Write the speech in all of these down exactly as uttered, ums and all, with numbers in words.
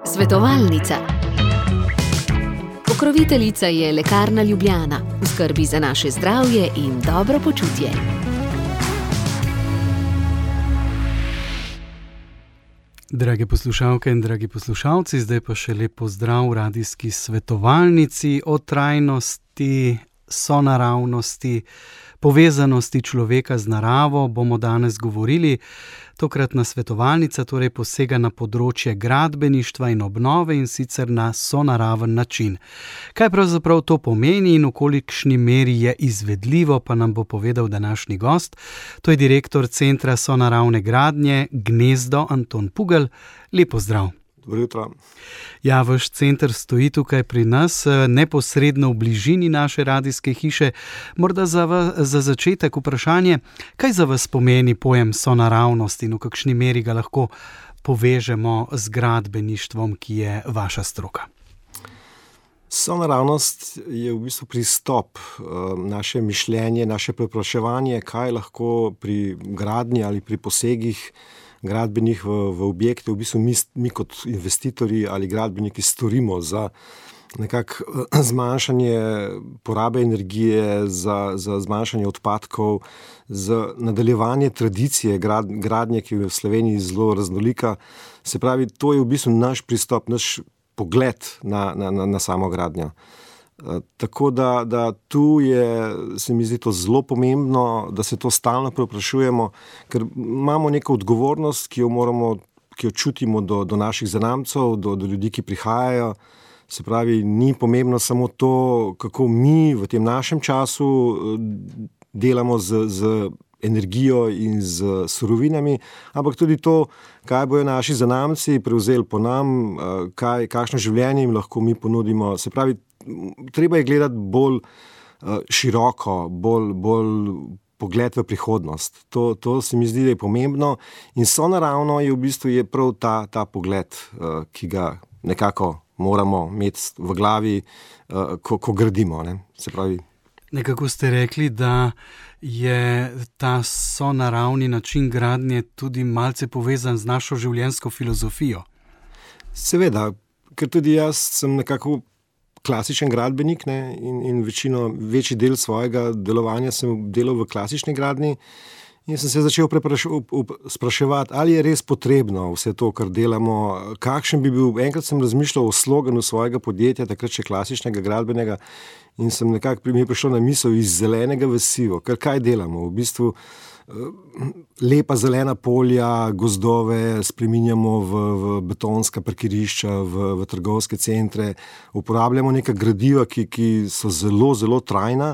Svetovalnica. Pokroviteljica je Lekarna Ljubljana, v skrbi za naše zdravje in dobro počutje. Drage poslušalke in dragi poslušalci, zdaj pa še lep pozdrav v radijski svetovalnici o trajnosti, sonaravnosti, povezanosti človeka z naravo bomo danes govorili. Tokratna svetovalnica torej posega na področje gradbeništva in obnove in sicer na sonaraven način. Kaj pravzaprav to pomeni in v kolikšni meri je izvedljivo, pa nam bo povedal današnji gost. To je direktor Centra sonaravne gradnje Gnezdo Anton Pugel. Lep pozdrav. Dobro jutro. Ja, vaš center stoji tukaj pri nas, neposredno v bližini naše radijske hiše. Morda za, va, za začetek vprašanje, kaj za vas pomeni pojem sonaravnost in v kakšni meri ga lahko povežemo z gradbeništvom, ki je vaša stroka? Sonaravnost je v bistvu pristop, naše mišljenje, naše prepraševanje, kaj lahko pri gradnji ali pri posegih gradbenih v, v objekte, v bistvu mi, mi kot investitorji ali gradbeniki storimo za nekako zmanjšanje porabe energije, za, za zmanjšanje odpadkov, za nadaljevanje tradicije grad, gradnje, ki je v Sloveniji zelo raznolika. Se pravi, to je v bistvu naš pristop, naš pogled na, na, na, na samo gradnjo. Tako da, da tu je, se mi zdi to zelo pomembno, da se to stalno preprašujemo, ker imamo neko odgovornost, ki jo moramo, ki jo čutimo do, do naših zanamcev, do, do ljudi, ki prihajajo. Se pravi, ni pomembno samo to, kako mi v tem našem času delamo z, z energijo in z surovinami, ampak tudi to, kaj bojo naši zanamci prevzeli po nam, kaj, kakšno življenje jim lahko mi ponudimo. Se pravi, treba je gledati bolj uh, široko, bolj, bolj pogled v prihodnost. To, to se mi zdi, da je pomembno in sonaravno je v bistvu je prav ta, ta pogled, uh, ki ga nekako moramo imeti v glavi, uh, ko, ko gradimo. Ne? Se pravi, nekako ste rekli, da je ta sonaravni način gradnje tudi malce povezan z našo življenjsko filozofijo. Seveda, ker tudi jaz sem nekako klasičen gradbenik, ne, in, in večino, večji del svojega delovanja sem delal v klasični gradnji in sem se začel spraševati, ali je res potrebno vse to, kar delamo, kakšen bi bil, enkrat sem razmišljal o sloganu svojega podjetja, takrat še klasičnega gradbenega in sem nekako mi je prišlo na misel iz zelenega v sivo, ker kaj delamo, v bistvu lepa zelena polja, gozdove spreminjamo v, v betonska parkirišča, v, v trgovske centre, uporabljamo neka gradiva, ki, ki so zelo, zelo trajna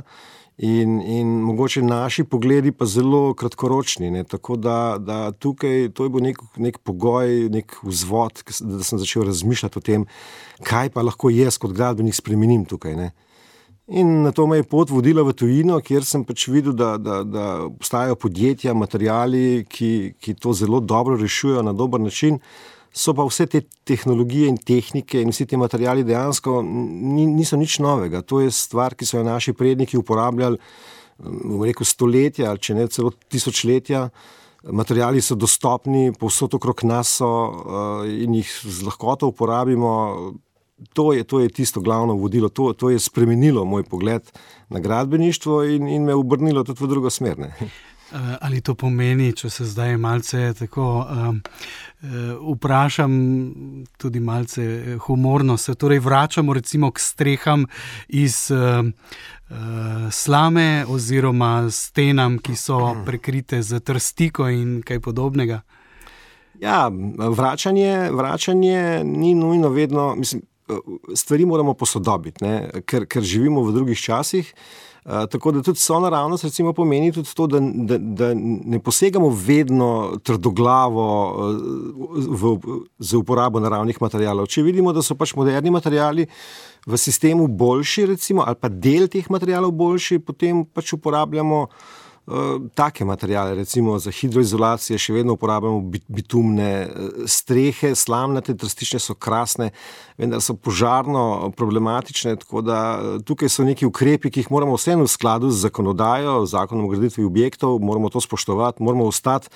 in, in mogoče naši pogledi pa zelo kratkoročni, ne? Tako da, da tukaj to je bil nek, nek pogoj, nek vzvod, da sem začel razmišljati o tem, kaj pa lahko jaz kot gradbenik spremenim tukaj, ne? In na to me je pot vodila v tujino, kjer sem pač videl, da, da, da obstajajo podjetja, materiali, ki, ki to zelo dobro rešujejo na dober način, so pa vse te tehnologije in tehnike in vsi te materiali dejansko niso nič novega. To je stvar, ki so jo naši predniki uporabljali, bom rekel, stoletja, če ne celo tisočletja. Materiali so dostopni, povsod okrog nas so in jih z lahkoto uporabimo. To je, to je tisto glavno vodilo, to, to je spremenilo moj pogled na gradbeništvo in, in me obrnilo tudi v drugo smer. Ne? Ali to pomeni, če se zdaj malce tako um, vprašam, tudi malce humorno, se torej vračamo recimo k streham iz um, uh, slame oziroma stenam, ki so prekrite z trstiko in kaj podobnega? Ja, vračanje, vračanje ni nujno vedno, mislim, stvari moramo posodobiti, ne? Ker, ker živimo v drugih časih, uh, tako da tudi sonaravnost recimo pomeni tudi to, da, da, da ne posegamo vedno trdoglavo uh, v, z uporabo naravnih materialov. Če vidimo, da so pač moderni materiali v sistemu boljši recimo, ali pa del teh materialov boljši, potem pač uporabljamo uh, take materijale, recimo za hidroizolacijo še vedno uporabljamo bitumne strehe, slamnate, trstične so krasne, vendar so požarno problematične, tako da tukaj so neki ukrepi, ki jih moramo vseeno v skladu z zakonodajo, zakonom o graditvi objektov, moramo to spoštovati, moramo ostati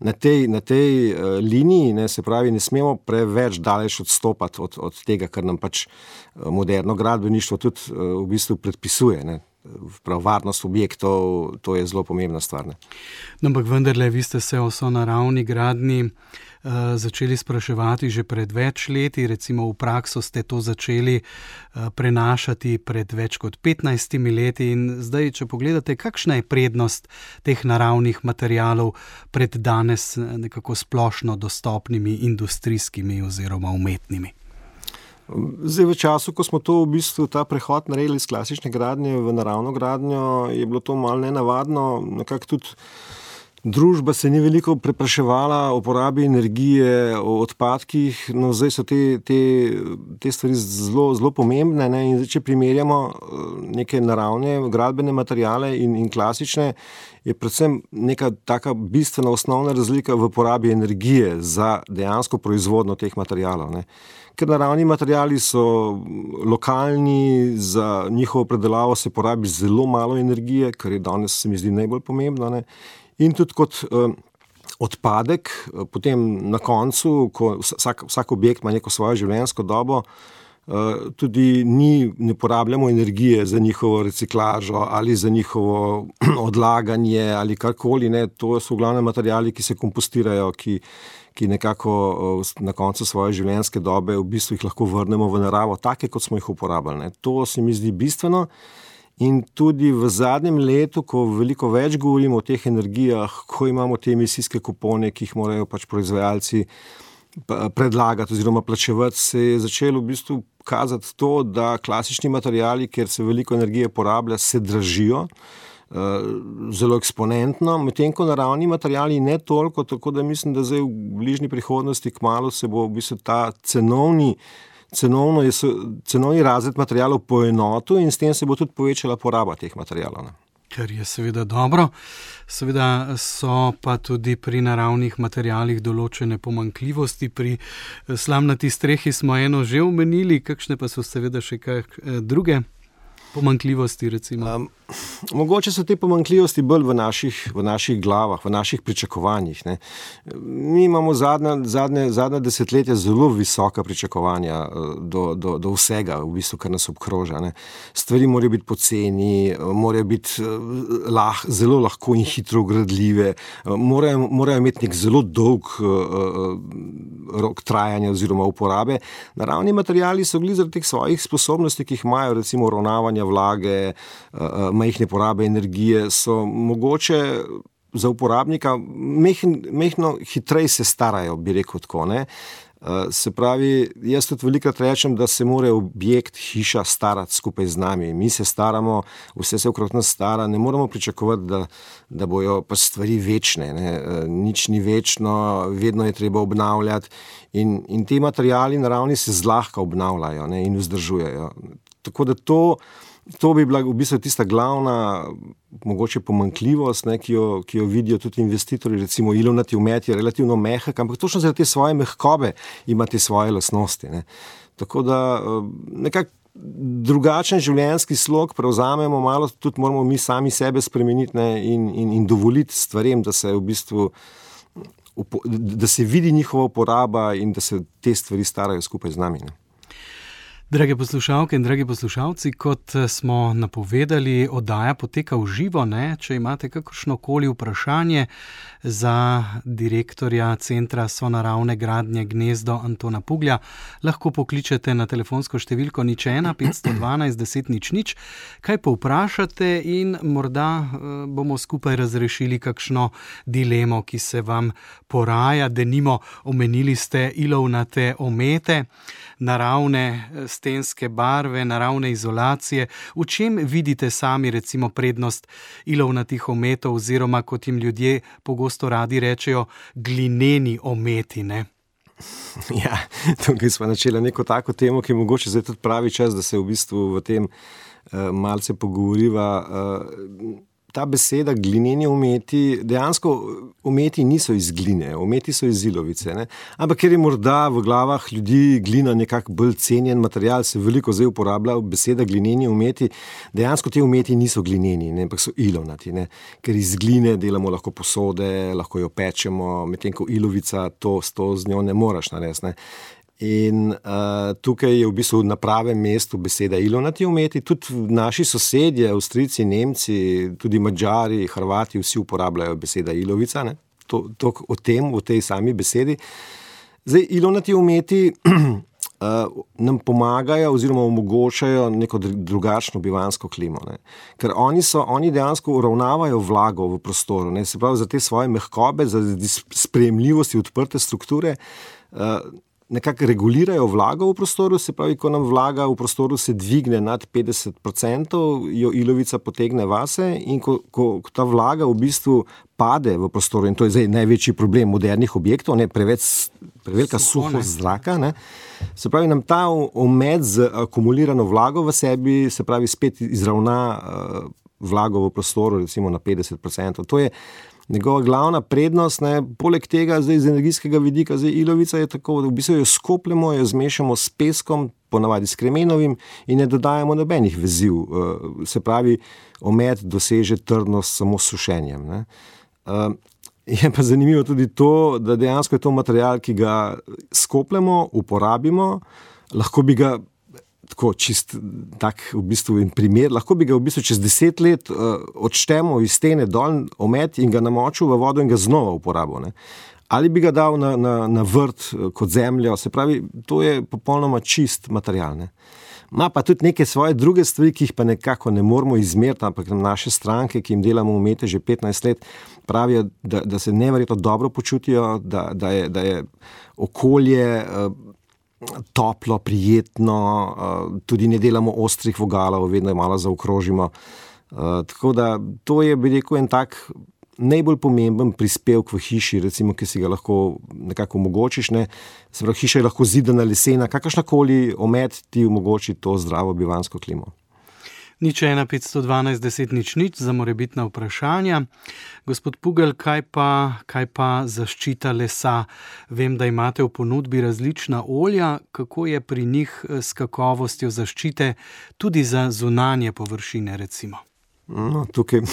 na tej, na tej uh, liniji, ne, se pravi, ne smemo preveč daleč odstopati od, od tega, kar nam pač moderno gradbeništvo tudi uh, v bistvu predpisuje, ne. Prav, varnost objektov, to je zelo pomembna stvar. Ne? No, ampak vendarle, vi ste se o sonaravni gradnji uh, začeli spraševati že pred več leti, recimo v prakso ste to začeli uh, prenašati pred več kot petnajstimi leti in zdaj, če pogledate, kakšna je prednost teh naravnih materialov pred danes nekako splošno dostopnimi industrijskimi oziroma umetnimi? Zdaj, v času, ko smo to v bistvu ta prehod naredili iz klasične gradnje v naravno gradnjo, je bilo to malo nenavadno. Nekako tudi družba se ni veliko prepraševala o porabi energije, o odpadkih, no zdaj so te, te, te stvari zelo, zelo pomembne, ne? In zdaj, če primerjamo neke naravne gradbene materiale in, in klasične, je predvsem neka taka bistvena osnovna razlika v porabi energije za dejansko proizvodnjo teh materialov, ne? Ker naravni materiali so lokalni, za njihovo predelavo se porabi zelo malo energije, kar je danes, se mi zdi, najbolj pomembno, ne? In tudi kot eh, odpadek, potem na koncu, ko vsak, vsak objekt ima neko svojo življenjsko dobo, eh, tudi ni, ne porabljamo energije za njihovo reciklažo ali za njihovo odlaganje ali karkoli, ne? To so v glavnem materiali, ki se kompostirajo, ki ki nekako na koncu svoje življenjske dobe v bistvu jih lahko vrnemo v naravo, take, kot smo jih uporabljali. Ne. To se mi zdi bistveno in tudi v zadnjem letu, ko veliko več govorimo o teh energijah, ko imamo te emisijske kupone, ki jih morajo pač proizvajalci predlagati oziroma plačevati, se je začelo v bistvu kazati to, da klasični materiali, kjer se veliko energije porablja, se dražijo, zelo eksponentno, medtem ko naravni materiali ne toliko, tako da mislim, da zdaj v bližnji prihodnosti kmalu se bo v bistvu ta cenovni, cenovno je, cenovni razred materialov poenotil in s tem se bo tudi povečala poraba teh materialov. Ne. Kar je seveda dobro. Seveda so pa tudi pri naravnih materialih določene pomanjkljivosti. Pri slamnati strehi smo eno že omenili, kakšne pa so seveda še kak druge pomanjkljivosti, recimo? Um, mogoče so te pomanjkljivosti bolj v naših, v naših glavah, v naših pričakovanjih. Ne. Mi imamo zadnja, zadnje, zadnja desetletja zelo visoka pričakovanja do, do, do vsega, v bistvu, kar nas obkroža. Ne. Stvari morajo biti poceni, morajo biti lah, zelo lahko in hitro gradljive, morajo, morajo imeti nek zelo dolg uh, rok trajanja oziroma uporabe. Naravni materiali so bili zaradi teh svojih sposobnosti, ki jih imajo, recimo ravnavanja vlage, majhne porabe energije, so mogoče za uporabnika mehn, mehno hitreje se starajo, bi rekel tako, ne. Se pravi, jaz tudi velikrat rečem, da se mora objekt, hiša starati skupaj z nami. Mi se staramo, vse se okrog nas stara, ne moramo pričakovati, da, da bojo pa stvari večne, ne. Nič ni večno, vedno je treba obnavljati in, in te materiali naravni se zlahka obnavljajo, ne, in vzdržujejo. Tako da to, to bi bila v bistvu tista glavna mogoče pomanjkljivost, ne, ki, jo, ki jo vidijo tudi investitorji, recimo ilovnati omet je relativno mehak, ampak točno zaradi te svoje mehkobe ima te svoje lastnosti. Ne. Tako da nekako drugačen življenjski slog prevzamemo, malo tudi moramo mi sami sebe spremeniti, ne, in, in, in dovoliti stvarem, da se v bistvu da se vidi njihova uporaba in da se te stvari starajo skupaj z nami. Ne. Drage poslušalke in dragi poslušalci, kot smo napovedali, oddaja poteka v živo, ne? Če imate kakršnokoli vprašanje za direktorja Centra sonaravne gradnje Gnezdo Antona Puglja, lahko pokličete na telefonsko številko nič ena petsto dvanajst deset nič nič, kaj povprašate in morda bomo skupaj razrešili kakšno dilemo, ki se vam poraja. Denimo, omenili ste ilovnate omete, naravne stenske barve, naravne izolacije. V čem vidite sami recimo prednost ilovnatih ometov oziroma, kot jim ljudje pogosto radi rečejo, glineni ometi, ne? Ja, tukaj smo načeli neko tako temo, ki je mogoče zdaj tudi pravi čas, da se v bistvu v tem uh, malce pogovoriva. Uh, ta beseda glineni ometi, dejansko ometi niso iz gline, ometi so iz ilovice. Ne? Ampak ker je morda v glavah ljudi glina nekako bolj cenjen material, se veliko zdaj uporablja beseda glineni ometi, dejansko te ometi niso glineni, ne? Ampak so ilovnati, ne? Ker iz gline delamo lahko posode, lahko jo pečemo, medtem ko ilovica, to, to z njo ne moreš narediti. Ne? In uh, tukaj je v bistvu na pravem mestu beseda ilovnati ometi, tudi naši sosedje, Avstrijci, Nemci, tudi Madžari, Hrvati, vsi uporabljajo beseda ilovica, ne? To, to o tem, o tej sami besedi. Zdaj, ilovnati ometi uh, nam pomagajo oziroma omogočajo neko drugačno bivansko klimo, ne? Ker oni, so, oni dejansko uravnavajo vlago v prostoru, ne? Se pravi, za te svoje mehkobe, za sprejemljivosti odprte strukture, uh, nekako regulirajo vlago v prostoru, se pravi, ko nam vlaga v prostoru se dvigne nad petdeset procentov, jo ilovica potegne vase in ko, ko, ko ta vlaga v bistvu pade v prostoru, in to je zdaj največji problem modernih objektov, ne, preveč, prevelika suhost zraka, ne, se pravi, nam ta omet z akumulirano vlago v sebi, se pravi, spet izravna uh, vlago v prostoru, recimo na petdeset procentov. To je njegova glavna prednost, ne, poleg tega zdaj z energijskega vidika, zdaj ilovica je tako, da v bistvu jo skopljamo, jo zmešamo s peskom, ponavadi s kremenovim in ne dodajamo nobenih veziv. Se pravi, omet doseže trdnost samo s sušenjem. Ne. Je pa zanimivo tudi to, da dejansko je to material, ki ga skopljamo, uporabimo, lahko bi ga tako čist tak v bistvu in primer, lahko bi ga v bistvu čez deset let uh, odštemo iz stene dol omet in ga namočil v vodo in ga znova uporabil. Ne. Ali bi ga dal na, na, na vrt kot zemljo, se pravi, to je popolnoma čist material. Ne. Ma pa tudi neke svoje druge stvari, ki jih pa nekako ne moramo izmeriti, ampak naše stranke, ki jim delamo umete že petnajst let, pravijo, da, da se neverjetno dobro počutijo, da, da, je, da je okolje uh, toplo, prijetno, tudi ne delamo ostrih vogalov, vedno je malo zaokrožimo. Tako da to je, bi rekel, en tak najbolj pomemben prispevek v hiši, recimo, ki si ga lahko nekako omogočiš. Ne? Se pravi, hiša je lahko zidana, lesena, kakršnakoli omet ti omogoči to zdravo bivansko klimo. Nič ena petsto dvanajst deset nič nič za morebitna vprašanja. Gospod Pugel, kaj pa, kaj pa zaščita lesa? Vem, da imate v ponudbi različna olja. Kako je pri njih s kakovostjo zaščite tudi za zunanje površine, recimo? No, tukaj,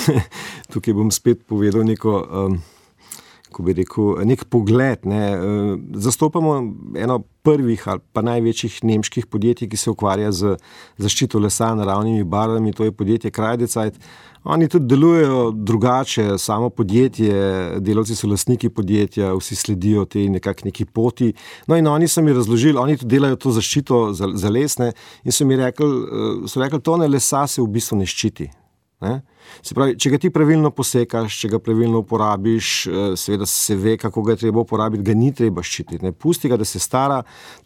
tukaj bom spet povedal neko... Um... ko bi rekel, nek pogled. Ne. Zastopamo eno prvih ali pa največjih nemških podjetij, ki se ukvarja z zaščito lesa naravnimi barvami, to je podjetje Kreidezeit. Oni tudi delujejo drugače, samo podjetje, delavci so lastniki podjetja, vsi sledijo tej nekak neki poti. No in oni so mi razložili, oni tudi delajo to zaščito za, za lesne in so mi rekli, so rekli, tone lesa se v bistvu ne ščiti. Ne? Se pravi, če ga ti pravilno posekaš, če ga pravilno uporabiš, seveda se ve, kako ga je treba uporabiti, ga ni treba ščititi. Ne? Pusti ga, da se stara,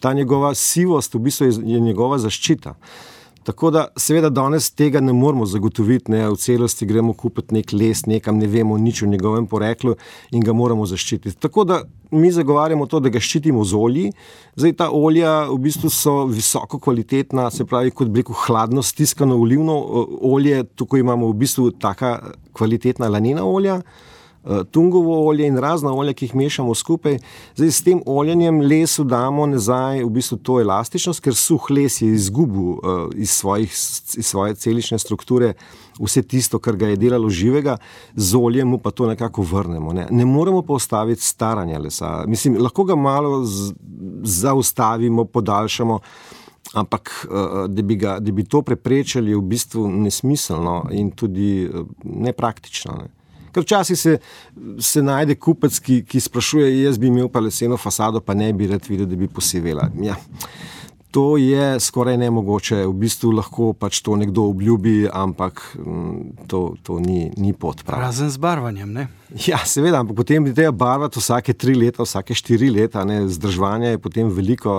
ta njegova sivost v bistvu je njegova zaščita. Tako da seveda danes tega ne moramo zagotoviti, ne, v celosti gremo kupiti nek les, nekam ne vemo nič o njegovem poreklu in ga moramo zaščititi. Tako da mi zagovarjamo to, da ga ščitimo z olji. Zdaj ta olja v bistvu so visoko kvalitetna, se pravi kot bi rekel hladno stiskano olivno olje, tukaj imamo v bistvu taka kvalitetna lanena olja, tungovo olje in razna olja, ki jih mešamo skupaj. Zdaj s tem oljenjem lesu damo nazaj v bistvu to elastičnost, ker suh les je izgubil uh, iz, svojih, iz svoje celične strukture vse tisto, kar ga je delalo živega, z oljem mu pa to nekako vrnemo. Ne, ne moremo pa ustaviti staranja lesa. Mislim, lahko ga malo z, zaustavimo, podaljšamo, ampak uh, da, bi ga, da bi to preprečili, je v bistvu nesmiselno in tudi uh, nepraktično. Ne. Ker včasih se, se najde kupec, ki, ki sprašuje, jaz bi imel pa leseno fasado, pa ne bi rad videl, da bi posivela. Ja, to je skoraj nemogoče. V bistvu lahko pač to nekdo obljubi, ampak to, to ni, ni pot prav. Razen z barvanjem, ne? Ja, seveda, ampak potem bi treba barvati vsake tri leta, vsake štiri leta, ne, zdržovanja je potem veliko,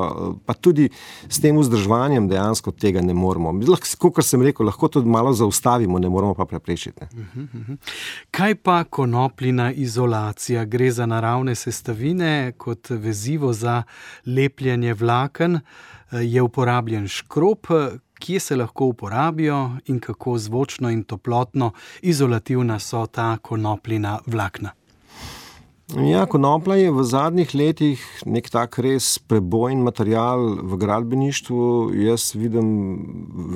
pa tudi s tem vzdržovanjem dejansko tega ne moramo. Lahko, kot sem rekel, lahko to malo zaustavimo, ne moramo pa preprečiti. Ne. Uh-huh, uh-huh. Kaj pa konopljina izolacija? Gre za naravne sestavine kot vezivo za lepljenje vlaken, je uporabljen škrob. kje se lahko uporabijo in kako zvočno in toplotno izolativna so ta konopljina vlakna. Ja, konoplja je v zadnjih letih nek tak res prebojen material v gradbeništvu. Jaz vidim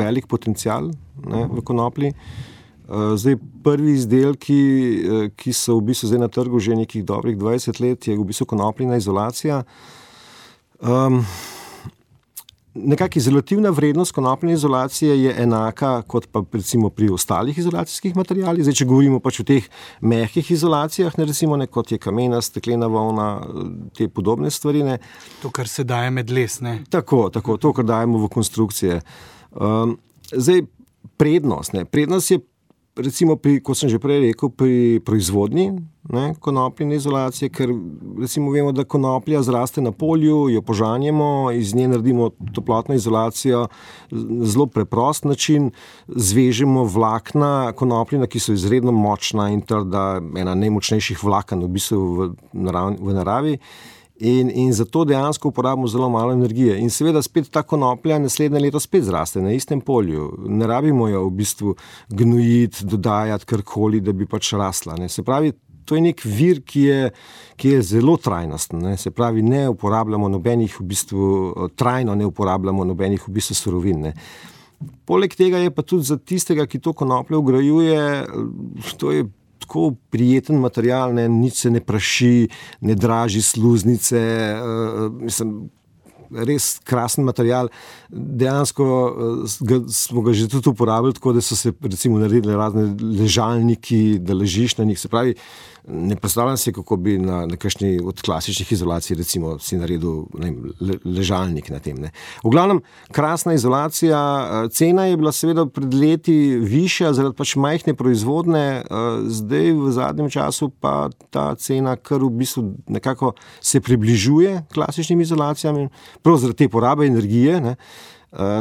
velik potencial, ne, v konoplji. Zdaj, prvi izdelki, ki so v bistvu zdaj na trgu že nekih dobrih dvajset let, je v bistvu konopljina izolacija. Um, Nekako izolativna vrednost konopljine izolacije je enaka kot pa recimo pri ostalih izolacijskih materialih. Zdaj, če govorimo pač o teh mehkih izolacijah, ne, recimo ne, kot je kamena, steklena volna, te podobne stvari. Ne. To, kar se daje med les, ne? Tako, tako, to, kar dajemo v konstrukcije. Um, zdaj, prednost, ne, prednost je recimo pri, kot sem že prej rekel, pri proizvodnji, ne, konopljine izolacije, ker recimo vemo, da konoplja zraste na polju, jo požanjemo, iz nje naredimo toplotno izolacijo, zelo preprost način, zvežemo vlakna konopljina, ki so izredno močna in trda, ena najmočnejših vlaken v bistvu v naravi, v naravi. In, in zato dejansko uporabimo zelo malo energije. In seveda spet ta konoplja naslednje leto spet zraste na istem polju. Ne rabimo jo v bistvu gnojiti, dodajati karkoli, da bi pač rasla. Ne. Se pravi, to je nek vir, ki je, ki je zelo trajnosten. Ne. Se pravi, ne uporabljamo nobenih v bistvu, trajno ne uporabljamo nobenih v bistvu surovin. Ne. Poleg tega je pa tudi za tistega, ki to konopljo vgrajuje, to je tako prijeten material, ne, nič se ne praši, ne draži sluznice, uh, mislim, res krasen material. Dejansko ga, smo ga že tudi uporabili, tako da so se recimo naredili razne ležalniki, da ležiš na njih. Se pravi, ne predstavljam se, kako bi na, na kakšni od klasičnih izolacij recimo si naredil ne, le, ležalnik na tem. Ne. V glavnem, krasna izolacija, cena je bila seveda pred leti višja zaradi pač majhne proizvodne, zdaj v zadnjem času pa ta cena kar v bistvu nekako se približuje klasičnim izolacijam, prav zaradi te porabe energije, ne.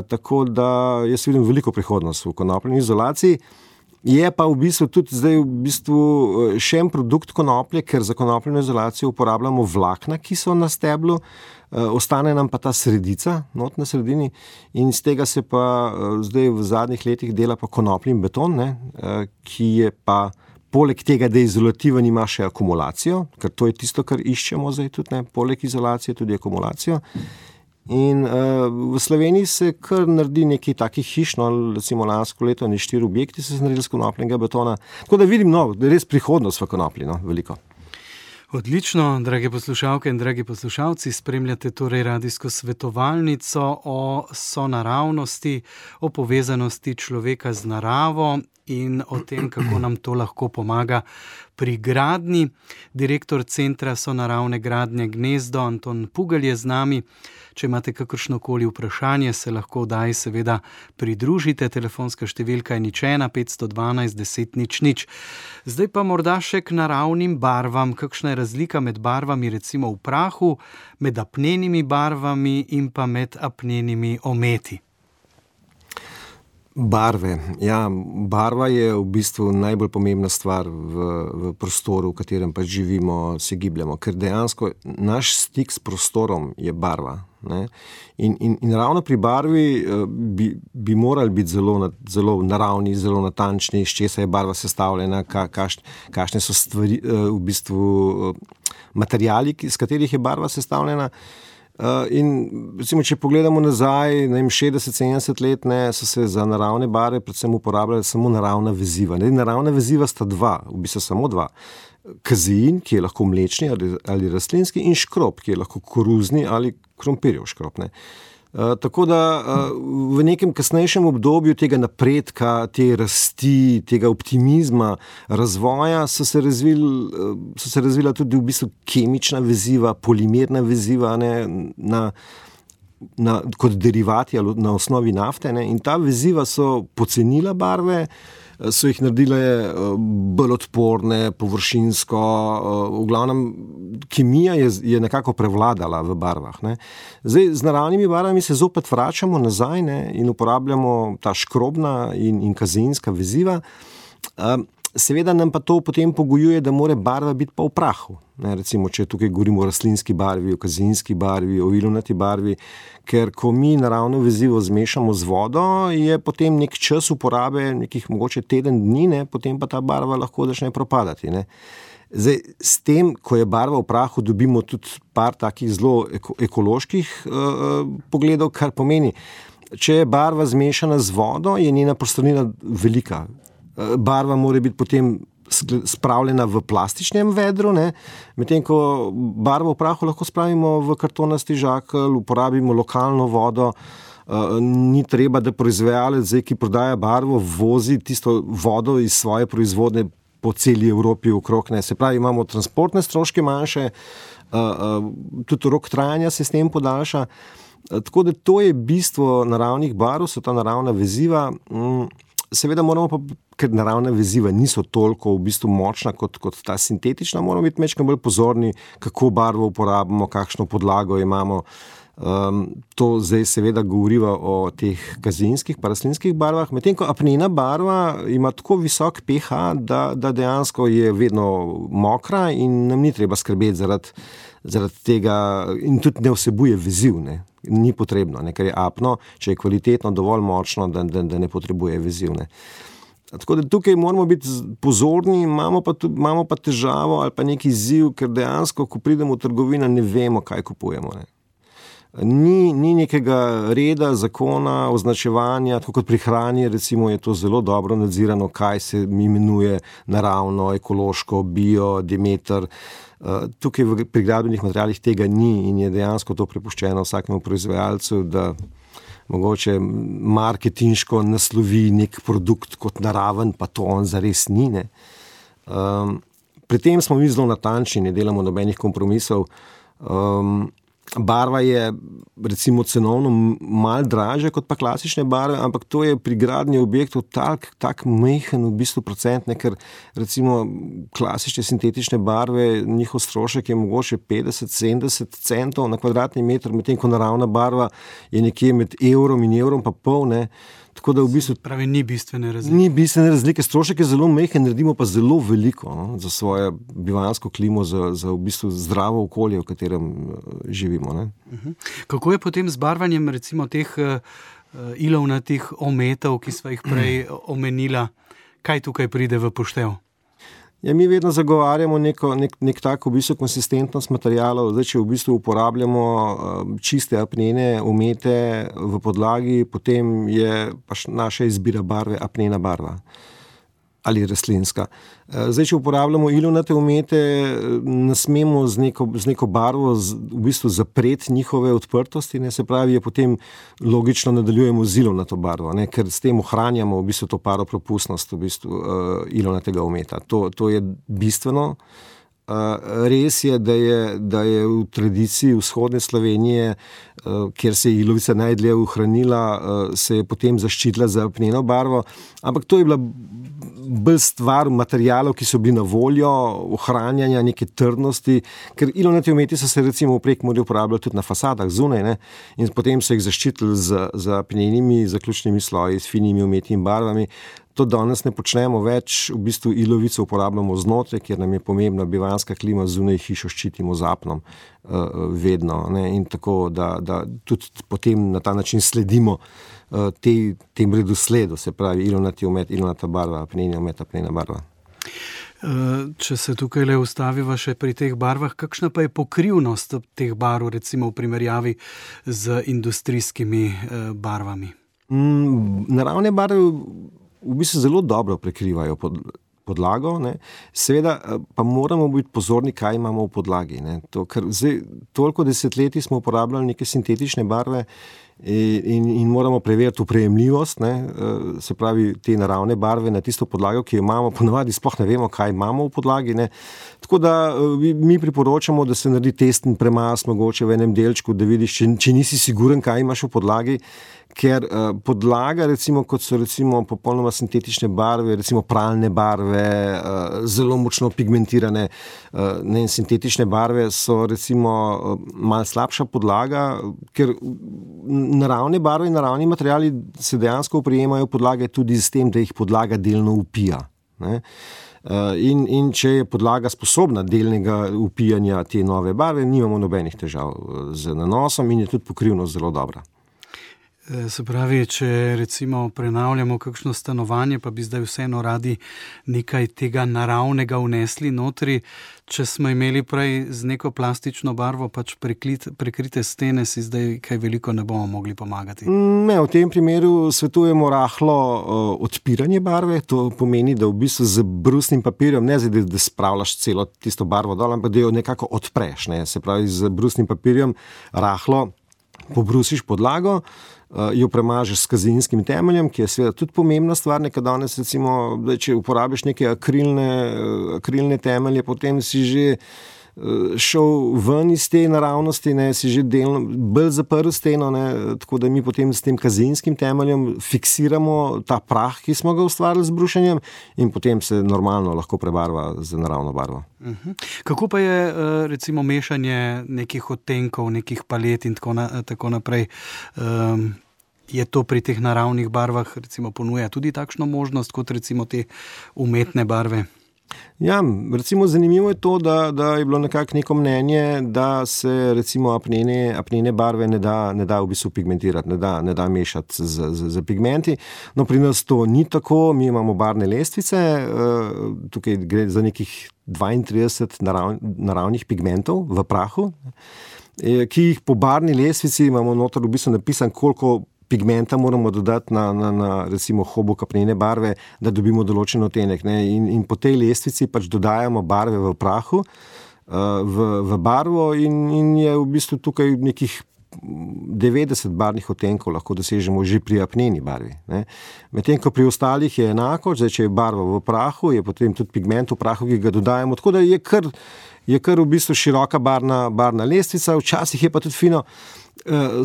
Tako da jaz vidim veliko prihodnost v konopljini izolaciji. Je pa v bistvu tudi zdaj v bistvu še en produkt konoplje, ker za konopljino izolacijo uporabljamo vlakna, ki so na steblu, ostane nam pa ta sredica not na sredini in iz tega se pa zdaj v zadnjih letih dela pa konopljin beton, ne, ki je pa poleg tega, da je izolativen, ima še akumulacijo, ker to je tisto, kar iščemo zdaj tudi, ne, poleg izolacije tudi akumulacijo. In uh, v Sloveniji se kar naredi nekaj takih hiš, no, recimo lansko leto ne štiri objekti so se naredili z konopljenega betona. Tako da vidim, no, da je res prihodnost v konoplji, no, veliko. Odlično, drage poslušalke in dragi poslušalci, spremljate torej radijsko svetovalnico o sonaravnosti, o povezanosti človeka z naravo in o tem, kako nam to lahko pomaga pri gradnji. Direktor Centra sonaravne gradnje Gnezdo, Anton Pugelj je z nami. Če imate kakršnokoli vprašanje, se lahko daj seveda pridružite. Telefonska številka je nič ena petsto dvanajst deset nič nič. Zdaj pa morda še k naravnim barvam. Kakšna je razlika med barvami recimo v prahu, med apnenimi barvami in pa med apnenimi ometi? Barve. Ja, barva je v bistvu najbolj pomembna stvar v, v prostoru, v katerem pa živimo, se gibljamo, ker dejansko naš stik s prostorom je barva. Ne? In, in, in ravno pri barvi bi, bi morali biti zelo, zelo naravni, zelo natančni, iz česa je barva sestavljena, ka, kaš, kakšne so stvari, v bistvu materiali, s katerih je barva sestavljena. Uh, in recimo, če pogledamo nazaj, ne vem, šestdeset sedemdeset let, ne, so se za naravne barve predvsem uporabljale samo naravna veziva. Ne, naravna veziva sta dva, v bistvu samo dva. Kazein, ki je lahko mlečni ali, ali rastlinski, in škrob, ki je lahko koruzni ali krompirjev škrob. Ne. Uh, tako da uh, v nekem kasnejšem obdobju tega napredka, te rasti, tega optimizma, razvoja so se razvili, uh, so se razvila tudi v bistvu kemična veziva, polimerna veziva, ne, na, na, kot derivati ali na osnovi nafte, ne, in ta veziva so pocenila barve, so jih naredile bolj odporne, površinsko, v glavnem kemija je, je nekako prevladala v barvah. Ne. Zdaj, z naravnimi barvami se zopet vračamo nazaj, ne, in uporabljamo ta škrobna in, in kazeinska veziva. seveda nam pa to potem pogojuje, da mora barva biti pa v prahu. Ne, recimo, če tukaj govorimo o rastlinski barvi, o kazinski barvi, o ilovnati barvi, ker ko mi naravno vezivo zmešamo z vodo, je potem nek čas uporabe, nekih mogoče teden dni, ne, potem pa ta barva lahko začne propadati. Ne. Zdaj, s tem, ko je barva v prahu, dobimo tudi par takih zelo eko, ekoloških uh, pogledov, kar pomeni, če je barva zmešana z vodo, je njena prostornina velika. Barva mora biti potem spravljena v plastičnem vedru, ne? Medtem ko barvo v prahu lahko spravimo v kartonasti žakelj, uporabimo lokalno vodo, uh, ni treba, da proizvajalec, zdaj, ki prodaja barvo, vozi tisto vodo iz svoje proizvodne po celi Evropi okrog. Ne? Se pravi, imamo transportne stroške manjše, uh, uh, tudi rok trajanja se s tem podaljša. Uh, tako da to je bistvo naravnih barv, so ta naravna veziva. Um, Seveda moramo pa, ker naravna veziva niso toliko v bistvu močna kot, kot ta sintetična, moramo biti mečkaj bolj pozorni, kako barvo uporabimo, kakšno podlago imamo. Um, to zdaj seveda govoriva o teh kazinskih pa rastlinskih barvah, medtem ko apnena barva ima tako visok pH, da, da dejansko je vedno mokra in nam ni treba skrbeti zaradi, zaradi tega in tudi ne vsebuje veziv, ne. Ni potrebno, ne, ker je apno, če je kvalitetno dovolj močno, da, da, da ne potrebuje veziv. Ne. Tako da tukaj moramo biti pozorni, imamo pa, tudi, imamo pa težavo ali pa neki izziv, ker dejansko, ko pridemo v trgovino, ne vemo, kaj kupujemo. Ne. Ni, ni nekega reda, zakona, označevanja, tako kot pri hrani, recimo je to zelo dobro nadzirano, kaj se imenuje naravno, ekološko, bio, Demeter. Tukaj pri gradbenih materialih tega ni in je dejansko to prepuščeno vsakemu proizvajalcu, da mogoče marketinško naslovi nek produkt kot naraven, pa to on zares ni. Ne. Um, pri tem smo mi zelo natančni, ne delamo nobenih kompromisov. Um, Barva je recimo cenovno malo dražja kot pa klasične barve, ampak to je pri gradnji objektov tak, tak majhen v bistvu procent, ne, ker recimo klasične sintetične barve, njihov strošek je mogoče petdeset sedemdeset centov na kvadratni meter, medtem ko naravna barva je nekje med evrom in evrom pa pol, ne. Tako da v bistvu pravi, ni bistvene razlike. Ni bistvene razlike, strošek je zelo majhen, naredimo pa zelo veliko, no, za svojo bivanjsko klimo, za, za v bistvu zdravo okolje, v katerem živimo. Ne. Uh-huh. Kako je potem z barvanjem recimo teh uh, ilovnatih ometov, ki sva jih prej omenila? Kaj tukaj pride v poštev? Ja, mi vedno zagovarjamo neko, nek, nek tako v bistvu konsistentnost materialov. Zdaj, če v bistvu uporabljamo čiste apnene, omete v podlagi, potem je pač naša izbira barve apnena barva ali rastlinska. Zdaj, če uporabljamo ilovnate omete, ne smemo z neko, z neko barvo z, v bistvu zapreti njihove odprtosti, ne, se pravi, je potem logično nadaljujemo z ilovnato barvo, ne, ker s tem ohranjamo v bistvu to paropropustnost v bistvu uh, ilovnatega ometa. To, to je bistveno. Uh, res je, da je, da je v tradiciji vzhodne Slovenije, uh, kjer se je ilovica najdlje ohranila, uh, se je potem zaščitila za apneno barvo, ampak to je bila bolj stvar materialov, ki so bili na voljo, ohranjanja neke trdnosti, ker ilovnati ometi so se recimo v Prekmurju uporabljali tudi na fasadah zunaj, ne, in potem so jih zaščitili z, z apnenimi zaključnimi sloji, s finimi ometnimi barvami. To danes ne počnemo več, v bistvu ilovico uporabljamo znotraj, kjer nam je pomembna bivanjska klima, zunaj hišo ščitimo z apnom uh, vedno, ne, in tako, da, da tudi potem na ta način sledimo uh, te, tem redosledu, se pravi ilovnati omet, ilovnata barva, apneni omet, apnena barva. Če se tukaj le ustaviva še pri teh barvah, kakšna pa je pokrivnost teh barv, recimo v primerjavi z industrijskimi barvami? Mm, naravne barve v bistvu zelo dobro prekrivajo pod, podlago, ne. Seveda pa moramo biti pozorni, kaj imamo v podlagi. Ne. To, ker zdaj, toliko desetletij smo uporabljali neke sintetične barve in, in moramo preveriti uprejemljivost, ne, se pravi te naravne barve na tisto podlago, ki jo imamo, ponavadi sploh ne vemo, kaj imamo v podlagi. Ne. Tako da mi priporočamo, da se naredi testen premaz mogoče v enem delčku, da vidiš, če, če nisi siguren, kaj imaš v podlagi, ker uh, podlaga, recimo, kot so recimo popolnoma sintetične barve, recimo pralne barve, uh, zelo močno pigmentirane, uh, ne, sintetične barve so recimo uh, malo slabša podlaga, ker naravne barve in naravni materiali se dejansko oprijemajo podlage tudi s tem, da jih podlaga delno upija. Ne? In, in če je podlaga sposobna delnega upijanja te nove barve, nimamo nobenih težav z nanosom in je tudi pokrivnost zelo dobra. Se pravi, če recimo prenavljamo kakšno stanovanje, pa bi zdaj vseeno radi nekaj tega naravnega vnesli notri, če smo imeli prej z neko plastično barvo pač preklit, prekrite stene, si zdaj kaj veliko ne bomo mogli pomagati. Ne, v tem primeru svetujemo rahlo uh, odpiranje barve, to pomeni, da v bistvu z brusnim papirjem, ne zdaj, da spravljaš celo tisto barvo dol, ampak da jo nekako odpreš, ne? Se pravi, z brusnim papirjem rahlo pobrusiš podlago, jo premažeš s kazinskim temeljem, ki je seveda tudi pomembna stvar, nekaj danes recimo, da če uporabiš neke akrilne, akrilne temelje, potem si že šel ven iz te naravnosti, ne, si že delno bolj zaprl steno, ne, tako da mi potem s tem kazinskim temeljem fiksiramo ta prah, ki smo ga ustvarili z brušenjem in potem se normalno lahko prebarva z naravno barvo. Uh-huh. Kako pa je recimo mešanje nekih odtenkov, nekih palet in tako, na, tako naprej? Um, je to pri teh naravnih barvah recimo ponuja tudi takšno možnost kot recimo te umetne barve? Ja, recimo zanimivo je to, da, da je bilo nekako neko mnenje, da se recimo apnene, apnene barve ne da, ne da v bistvu pigmentirati, ne da, ne da mešati z, z, z pigmenti. No, pri nas to ni tako, mi imamo barvne lestvice, tukaj gre za nekih dvaintrideset narav, naravnih pigmentov v prahu, ki jih po barvni lestvici imamo noter v bistvu napisan, koliko pigmenta moramo dodati na, na, na recimo hobuk apnene barve, da dobimo določen odtenek. Ne? In, in po tej lestvici pač dodajamo barve v prahu, v, v barvo in, in je v bistvu tukaj nekih devetdeset barvnih odtenkov lahko dosežemo že pri apneni barvi. Medtem ko pri ostalih je enako, zdaj, če je barva v prahu, je potem tudi pigment v prahu, ki ga dodajamo, tako da je kar, je kar v bistvu široka barvna, barvna lestvica, včasih je pa tudi fino,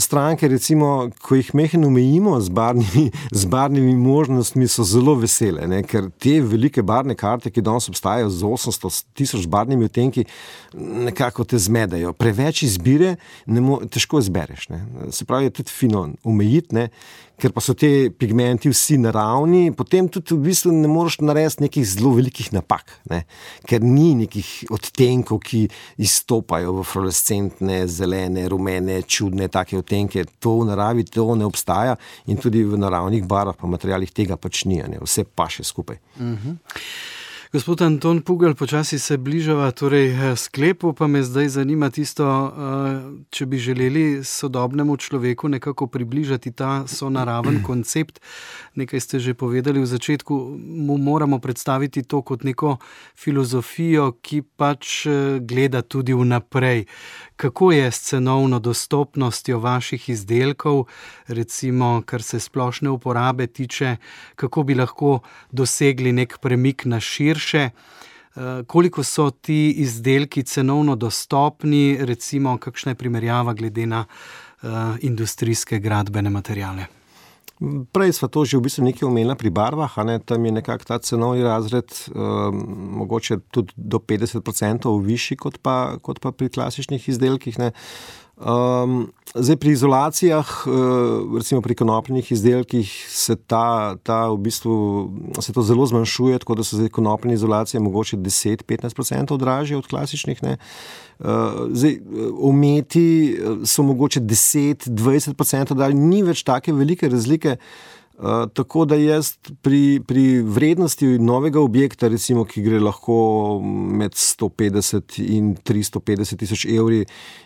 stranke, recimo, ko jih mehno omejimo z barvnimi, z barvnimi možnostmi, so zelo vesele, ne? Ker te velike barvne karte, ki danes obstajajo z osemsto tisoč barvnimi odtenki, nekako te zmedajo. Preveč izbire, ne mo- težko izbereš. Ne? Se pravi, je tudi fino omejiti, ne? Ker pa so te pigmenti vsi naravni, potem tudi v bistvu ne moreš narediti nekih zelo velikih napak, ne? Ker ni nekih odtenkov, ki izstopajo v fluorescentne, zelene, rumene, čudne take odtenke. To v naravi to ne obstaja in tudi v naravnih barvah pa materialih tega pač ni, ne? Vse paše skupaj. Uh-huh. Gospod Anton Pugelj, počasi se bližava torej sklepu, pa me zdaj zanima tisto, če bi želeli sodobnemu človeku nekako približati ta sonaraven koncept. Nekaj ste že povedali v začetku, mu moramo predstaviti to kot neko filozofijo, ki pač gleda tudi vnaprej. Kako je s cenovno dostopnostjo vaših izdelkov, recimo, kar se splošne uporabe tiče, kako bi lahko dosegli nek premik na širše, koliko so ti izdelki cenovno dostopni, recimo, kakšna je primerjava glede na uh, industrijske gradbene materiale? Prej sva to že v bistvu nekaj omenila pri barvah, a ne, tam je nekako ta cenovni razred um, mogoče tudi do petdeset procentov višji kot pa, kot pa pri klasičnih izdelkih, ne. Um, zdaj pri izolacijah, uh, recimo pri konopljenih izdelkih se ta, ta v bistvu se to zelo zmanjšuje, tako da so zdaj konopljene izolacije mogoče deset do petnajst procentov dražje od klasičnih, ne. Uh, zdaj, ometi so mogoče deset do dvajset procentov dalj, ni več take velike razlike. Uh, tako da jaz pri, pri vrednosti novega objekta, recimo, ki gre lahko med sto petdeset in tristo petdeset tisoč evri,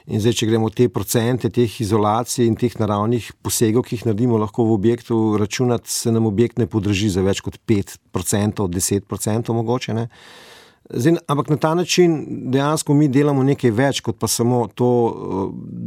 in zdaj, če gremo te procente teh izolacij in teh naravnih posegov, ki jih naredimo lahko v objektu, računati se nam objekt ne podraži za več kot pet procentov, deset procentov mogoče, ne. Zdaj, ampak na ta način dejansko mi delamo nekaj več, kot pa samo to,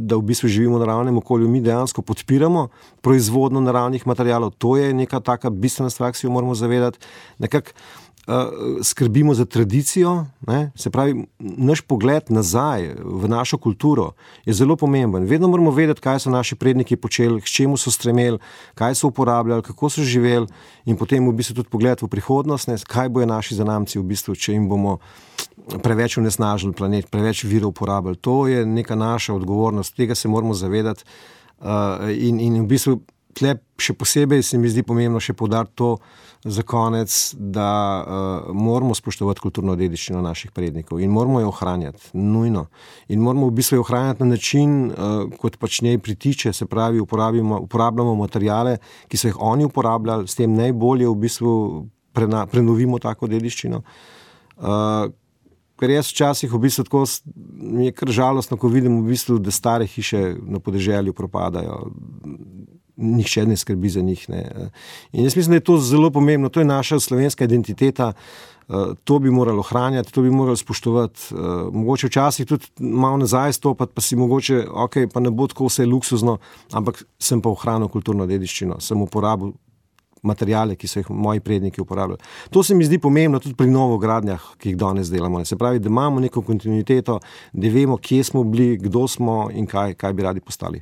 da v bistvu živimo v naravnem okolju. Mi dejansko podpiramo proizvodnjo naravnih materialov. To je neka taka bistvena stvar, ki si jo moramo zavedati. Nekako uh, skrbimo za tradicijo, ne? Se pravi, naš pogled nazaj v našo kulturo je zelo pomemben. Vedno moramo vedeti, kaj so naši predniki počeli, k čemu so stremeli, kaj so uporabljali, kako so živeli in potem v bistvu tudi pogled v prihodnost, ne? Kaj bojo naši zanamci v bistvu, če jim bomo preveč onesnažili planet, preveč virov uporabljali. To je neka naša odgovornost, tega se moramo zavedati uh, in, in v bistvu tle še posebej se mi zdi pomembno še poudariti to za konec, da uh, moramo spoštovati kulturno dediščino naših prednikov in moramo jo ohranjati, nujno. In moramo v bistvu jo ohranjati na način, uh, kot pač njej pritiče, se pravi, uporabljamo materijale, ki so jih oni uporabljali, s tem najbolje v bistvu prena, prenovimo tako dediščino. Uh, ker jaz včasih v bistvu tako mi je kar žalostno, ko vidim v bistvu, da stare hiše na podeželju propadajo. Nihče ne skrbi za njih. Ne. In jaz mislim, da je to zelo pomembno. To je naša slovenska identiteta. To bi morali ohranjati, to bi morali spoštovati. Mogoče včasih tudi malo nazaj stopati, pa si mogoče, ok, pa ne bo tako vse luksuzno, ampak sem pa ohranil kulturno dediščino. Sem uporabil materijale, ki so jih moji predniki uporabljali. To se mi zdi pomembno tudi pri novogradnjah, ki jih danes delamo. Se pravi, da imamo neko kontinuiteto, da vemo, kje smo bili, kdo smo in kaj, kaj bi radi postali.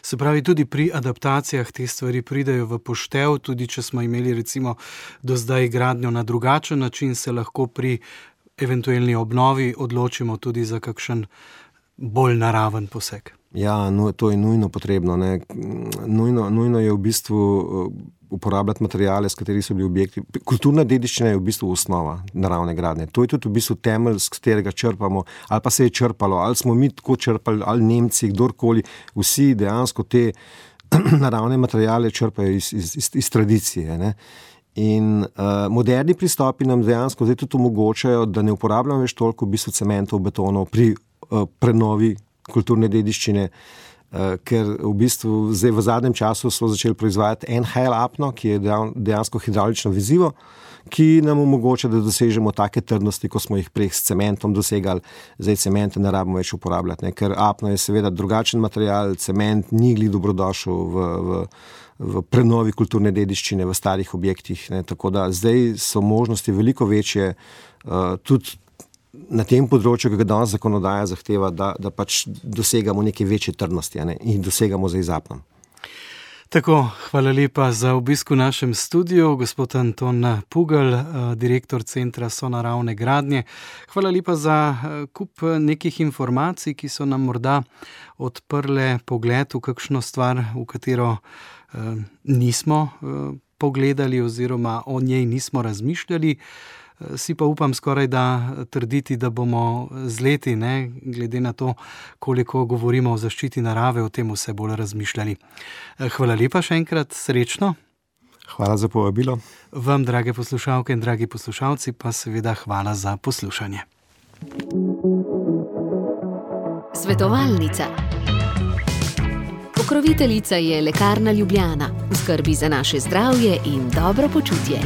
Se pravi, tudi pri adaptacijah te stvari pridejo v poštev, tudi če smo imeli recimo do zdaj gradnjo na drugačen način, se lahko pri eventualni obnovi odločimo tudi za kakšen bolj naraven poseg. Ja, no, to je nujno potrebno. Ne. Nujno, nujno je v bistvu uporabljati materijale, s kateri so bili objekti. Kulturna dediščina je v bistvu osnova naravne gradnje. To je tudi v bistvu temelj, s katerega črpamo, ali pa se je črpalo, ali smo mi tako črpali, ali Nemci, kdorkoli, vsi dejansko te naravne materijale črpajo iz, iz, iz, iz tradicije. Ne. In uh, moderni pristopi nam dejansko zdaj tudi omogočajo, da ne uporabljamo več toliko v bistvu cementov, betonov pri uh, prenovi kulturne dediščine, uh, ker v bistvu zdaj v zadnjem času so začeli proizvajati N H L apno, ki je dejansko hidravlično vezivo, ki nam omogoča, da dosežemo take trdnosti, ko smo jih prej s cementom dosegali. Zdaj cemente ne rabimo več uporabljati, ne? Ker apno je seveda drugačen material, cement ni glih dobrodošel v, v, v prenovi kulturne dediščine v starih objektih, ne? Tako da zdaj so možnosti veliko večje, uh, tudi na tem področju, ki ga danes zakonodaja zahteva, da, da pač dosegamo neke večje trdnosti, ne? In dosegamo zdaj z apnom. Tako, hvala lepa za obisk v našem studiu, gospod Anton Pugelj, direktor Centra sonaravne gradnje. Hvala lepa za kup nekih informacij, ki so nam morda odprle pogled v kakšno stvar, v katero eh, nismo eh, pogledali oziroma o njej nismo razmišljali. Si pa upam skoraj da trditi, da bomo z leti, ne, glede na to, koliko govorimo o zaščiti narave, o tem vse bolj razmišljali. Hvala lepa še enkrat, srečno. Hvala za povabilo. Vam, drage poslušalke in dragi poslušalci, pa seveda hvala za poslušanje. Svetovalnica. Pokroviteljica je Lekarna Ljubljana. V skrbi za naše zdravje in dobro počutje.